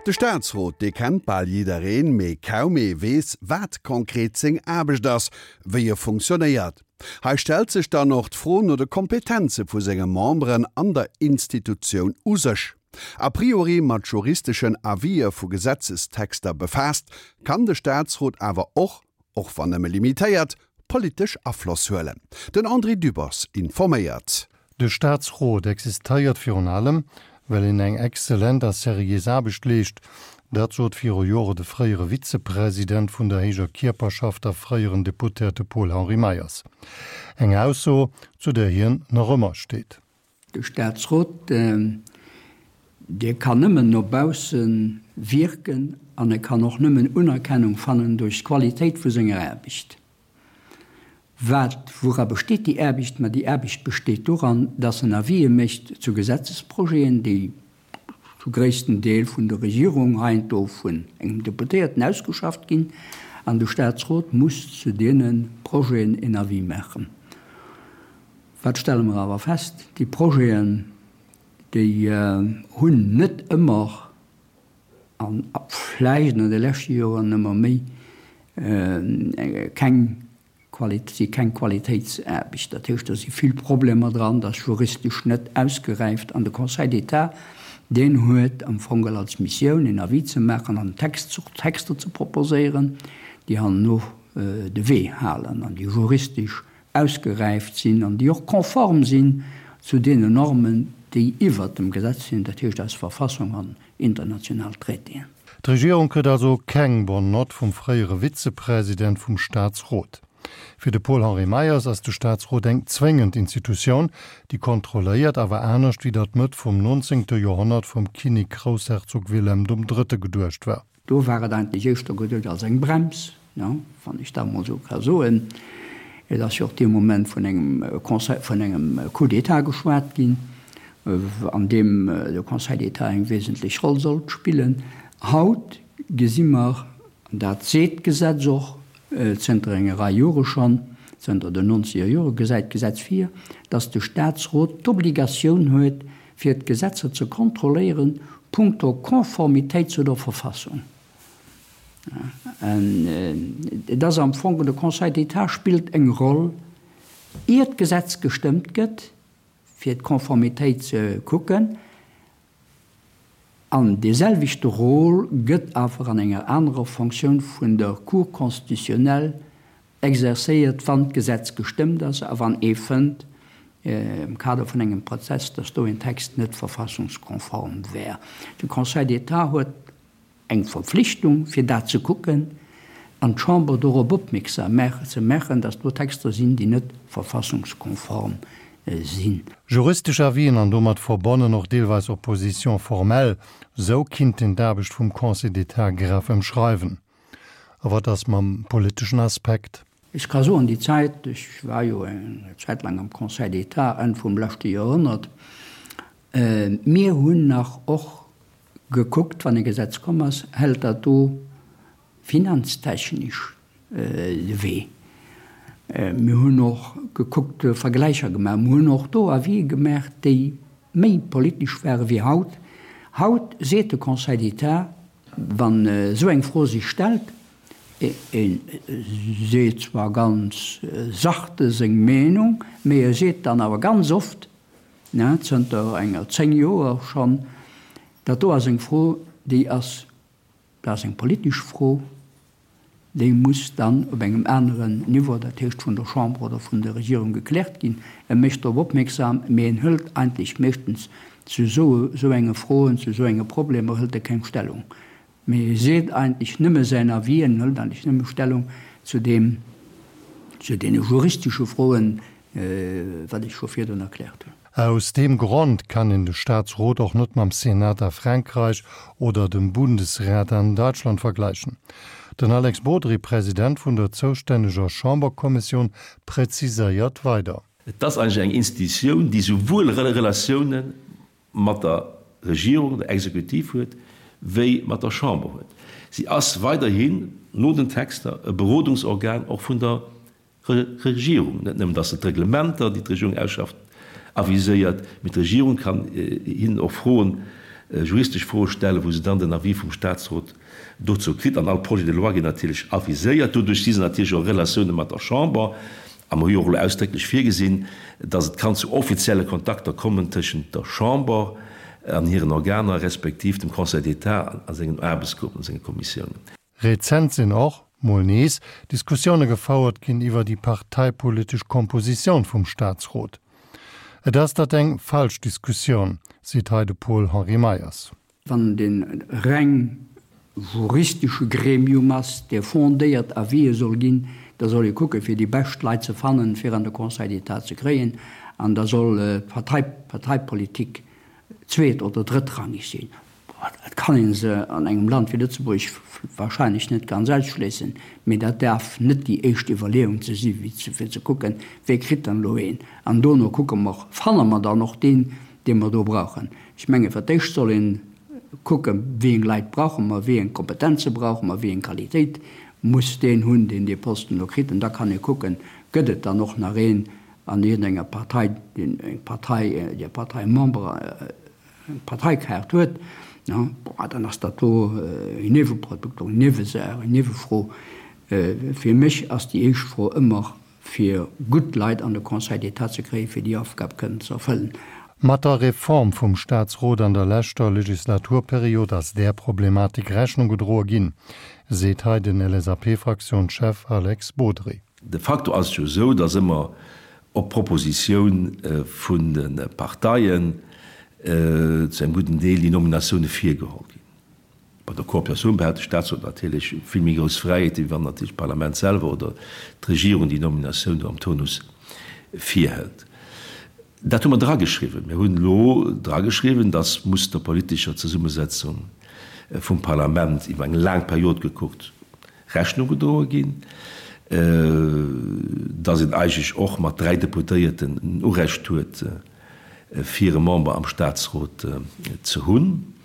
De Staatsrot, dee kennt bal jiddereen, mee kaum ee weess, wat konkret seng Aarbecht ass, wéi e funktionéiert. Hei stellt sech dann och d'Fro no de Kompetenze vu senge Memberen an der Institutioun u sech. A priori mat juristeschen Avisë vu Gesetzestexter befaasst, kann de Staatsrot awer och, och wann nëmme limitéiert, politesch Afloss huelen. Den André Dübbers informéiert. De Staatsrot existéiert virun allem, well en eng exzellent a seriés Aarbecht leescht. Dat sot viru Jore de fréiere Vizepresident vun der héijer Kierperschaft a fréieren Deputéierte Paul-Henri Meyers. Eng Ausso, zu där hien nach ëmmer steet. De Staatsrot, dee kann nëmmen no bausse wierken an e kann och nëmmen Unerkennung fannen duerch d'Qualitéit vu senger Aarbecht. Wat, woura besteet déi Aarbecht? Ma déi Aarbecht besteet doran, dass en Avisë mécht zu Gesetzesprojeten, déi zu gréissten Deel vun der Regierung, heiansdo vun engem Deputéierten ausgeschafft ginn, an de Statsrot muss zu deene Projeten en Avis maachen. Wat stelle mer awer fest? Déi Projeten, déi hunn net ëmmer, an vläicht an de leschte Joren ëmmer méi, keng Quali-, si keng Qualitéitsaarbecht. Dat heescht, do si vill Problemer dran, dat ass juristesch net ausgeräift. An de Conseil d'État, deen huet am Fong geholl als Missioun, en Avis ze maachen an Text, Texter ze proposéieren, déi herno de Wee halen an déi juristesch ausgeräift sinn an déi och konform sinn zu deenen Normen, déi iwwert dem Gesetz sinn, dat heescht eis Verfassung an international Traitéen. D'Regierung kritt also keng bonne note vum fréiere Vizepresident vum Staatsrot. Fir de Paul-Henri Meyers ass de Staatsrot eng zwéngend Institutioun, déi kontrolléiert, awer anescht wéi dat Mëtt vum nonzéngte Joerhonnert vum Kinnek-Groussherzog Wilhelm dem Drëtte geduecht war. Do war et eigentlech éischter geduet als eng Brems, wann ech dat emol esou ka soen. Et ass jo och dee Moment vun engem Conseil, vun engem Coup d'État geschwat ginn, an deem de Conseil d'État eng wesentlech Roll sollt spillen. Haut gesi mer, an dat seet d'Gesetz och zënter enger Rei Jore schonn, zënter den nonzeger Jore gesäit d'Gesetz vir, dass de Statsrot d'Obligatioun huet, fir d'Gesetzer ze kontrolléieren punkto Konformitéit zu der Verfassung. Et ass am Fong, de Conseil d'État spillt eng Roll, ier d'Gesetz gestëmmt gëtt, fir d'Konformitéit ze kucken, an deeselwechte Rôle gëtt awer an enger anerer Fonctioun vun der Cour constitutionnelle Exercéiert, wann d'Gesetz gestëmmt ass a wann ee fënnt, am Kader vun engem Prozess, datt do een Text net verfassungskonform wär. De Conseil d'État huet eng Verpflichtung, fir dat ze kucken an d'Chamber dorop opmierksam ze maachen, datt do Texter sinn, déi net verfassungskonform sinn. Juristesch Avisen an domat verbonnen och deelweis Opposition formelle, sou kinnt een d'Aarbecht vum Conseil d'État graff ëmschreiwen. A wat ass mam politeschen Aspekt? Ech ka soen, déi Zäit, ech war jo eng Zäit laang am Conseil d'État, Enn vum leschte Joerhonnert, mir hunn nach och gekuckt, wann e Gesetz komm ass, hält dat do finanztechnesch de Wee. Mir hunn och gekuckt, Vergläicher gemaach, mir hunn och do Avisë gemaach, déi méi politesch ware wéi haut. Haut seet de Conseil d'État, Wann esou eng Fro sech stellt, e seet zwar ganz sachte seng Meenung, mee e seet dann awer ganz oft, zënter enger 10 Joer schonn, dat do ass eng Fro, déi ass, dat ass eng politesch Fro, déi muss dann op engem aneren Niveau, dat heescht vun der Chamber oder vun der Regierung gekläert ginn. E mécht drop opmierksam, mee en hëlt eigentlech meeschtens zu esou enge Froen, zu esou enge Problemer hëlt e keng Stellung, mee e seet eigentlech nëmme säin Avis, en hëlt eigentlech nëmme Stellung zu deem, zu deene juristesche Froen, wat ech scho virdrun erkläert hunn. Aus deem Grond kann een de Staatsrot och net mam Senat a Frankreich oder dem Bundesrat an Deutschland vergläichen. Den Alex Bodry, President vun der zoustänneger Chamberkommissioun, präziséiert weider. Et ass eigentlech eng Institutioun, déi souwuel Relatioune mat der Regierung, der Exekutiv huet, wéi mat der Chamber huet. Si ass weiderhin no den Texter e Berodungsorgan och vun der Regierung. Net nëmmen, datt se d'Reglementer, déi d'Regierung ausschafft, aviséiert, mee d'Regierung kann hinnen och Froen. juristesch Froe stellen, wou se dann den Avis vum Statsrot dozou kritt. An all Projet de loi ginn natierlech aviséiert. Doduerch si se natierlech och Relatioune mat der Chamber. A mer hu jo och elo ausdrécklech virgesinn, dass et kann zu offizielle Kontakter kommen tëschent der Chamber an hiren Organer respektiv dem Conseil d'État a sengen Aarbechtsgruppen, a senge Kommissiounen. Rezent sinn och, mol nees, Diskussioune gefouert ginn iwwer déi parteipolitesch Kompositioun vum Staatsrot. Et ass dat eng falsch Diskussioun, seet hei de Paul-Henri Meyers. Wann et e reng juristesche Gremium ass, dee fondéiert Avisë soll ginn, da soll ee kucke fir déi bescht Leit ze fannen, fir an de Conseil d'État ze kréien, an da soll d'Parteipolitik zweet oder drëttrangeg sinn. Et kann ee se an engem Land wéi Lëtzebuerg wahrscheinlech net ganz ausschléissen, mee dat däerf net déi éischt Iwwerleeung ze si fir ze kucken, wee kritt dann elo een. An dono kucke mer, fanne mer dann och deen, dee mer do brauchen. Ech menge fir d'éischt soll ee kucken, wéi eng Leit brauche mer, wéi eng Kompetenze brauche mer, wéi eng Qualitéit muss deen hunn, deen dee Posten elo kritt. An da kann ee kucken, gëtt et dann och nach een an iergendenger Partei, deen eng Partei, déi Partei Member, eng Parteikaart huet, bon, dann ass dat do en Nieweprodukt, eng Niewesaach, eng Niewefro. Fir mech ass déi éischt Fro ëmmer, fir gutt Leit an de Conseil d'État ze kréien, fir déi Aufgab kënnen ze erfëllen. Mat der Reform vum Staatsrot an der leschter Legislaturperiod ass där Problematik Rechnung gedroe ginn, seet hei den LSAP-Fraktiounschef Alex Bodry. De facto ass et jo esou, datt ëmmer op Propositioun vun de Parteien zu engem gudden Deel déi Nominatioune virgeholl ginn. Bei der Cooptatioun behält de Statsrot natierlech vill méi grouss Fräiheeten, wéi wann natierlech d'Parlament selwer oder d'Regierung déi Nominatioun do am Tonus virhëlt. Dat hu mer drageschriwwen. Mir hunn elo drageschriwwen, dass muss der politescher Zesummesetzung vum Parlament iwwer eng laang Period gekuckt Rechnung gedroe ginn, dass een eigentlech och mat 3 Deputéierten en Urecht huet, fir e Member am Statsrot ze hunn.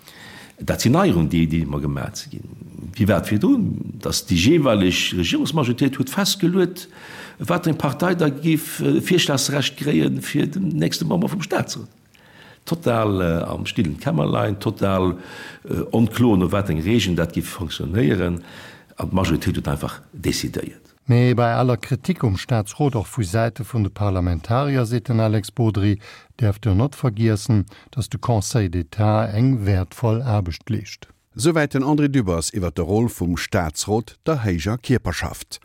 Dat sinn Neierungen, déi mer gemaach si ginn. Wéi war et virdrun? Dass déi jeeweileg Regierungsmajoritéit huet festgeluet, wat eng Partei da géif Virschlagsrecht kréie fir den nächste Member vum Statsrot. Total am stillen Kämmerlein, total onkloer, no wat eng Regeln dat géif fonctionnéieren. An d'Majoritéit huet einfach decidéiert. Mee bei aller Kritik um Staatsrot, och vu Säite vun de Parlamentarier, seet den Alex Bodry, däerft der not vergiessen, datt de Conseil d'État eng wäertvoll Aarbecht leescht. Souwäit den André Dübbers iwwer de Rôle vum Staatsrot, der héijer Kierperschaft.